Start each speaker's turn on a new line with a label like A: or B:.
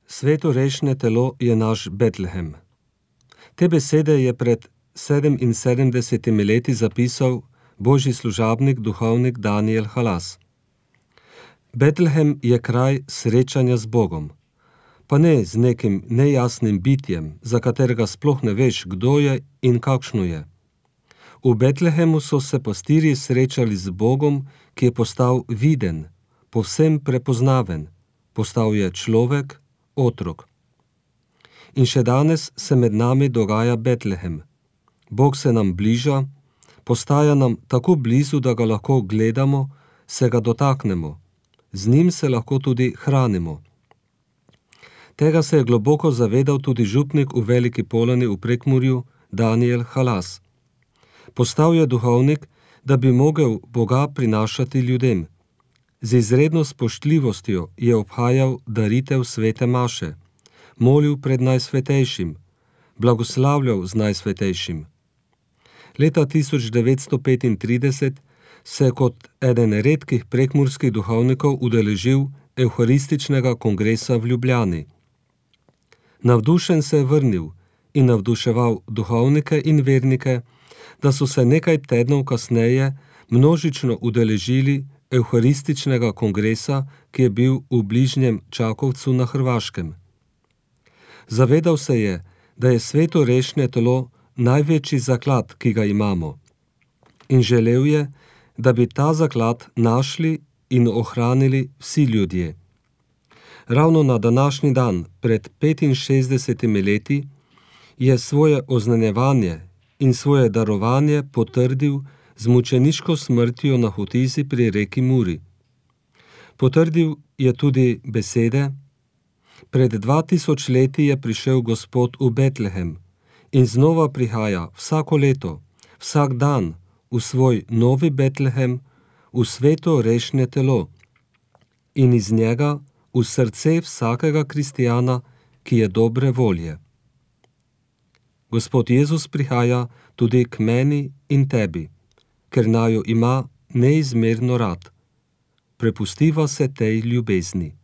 A: Svetorešne telo je naš Betlehem. Te besede je pred 77 leti zapisal božji služabnik, duhovnik Daniel Halas. Betlehem je kraj srečanja z Bogom, pa ne z nekim nejasnim bitjem, za katerega sploh ne veš, kdo je in kakšno je. V Betlehemu so se pastirji srečali z Bogom, ki je postal viden, povsem prepoznaven, postal je človek, otrok. In še danes se med nami dogaja Betlehem. Bog se nam bliža, postaja nam tako blizu, da ga lahko gledamo, se ga dotaknemo, z njim se lahko tudi hranimo. Tega se je globoko zavedal tudi župnik v Veliki Polani v Prekmurju Daniel Halas. Postal je duhovnik, da bi mogel Boga prinašati ljudem. Z izredno spoštljivostjo je obhajal daritev svete maše, molil pred Najsvetejšim, blagoslavljal z Najsvetejšim. Leta 1935 se je kot eden redkih prekmurskih duhovnikov udeležil Evharističnega kongresa v Ljubljani. Navdušen se je vrnil in navduševal duhovnike in vernike, da so se nekaj tednov kasneje množično udeležili Evharističnega kongresa, ki je bil v bližnjem Čakovcu na Hrvaškem. Zavedal se je, da je svetorešne telo največji zaklad, ki ga imamo, in želel je, da bi ta zaklad našli in ohranili vsi ljudje. Ravno na današnji dan, pred 65 leti, je svoje oznanjevanje in svoje darovanje potrdil z mučeniško smrtjo na Hotizi pri reki Muri. Potrdil je tudi besede: pred 2000 leti je prišel Gospod v Betlehem in znova prihaja vsako leto, vsak dan v svoj novi Betlehem, v svetorešne telo in iz njega v srce vsakega kristjana, ki je dobre volje. Gospod Jezus prihaja tudi k meni in tebi, ker naju ima neizmerno rad. Prepustiva se tej ljubezni.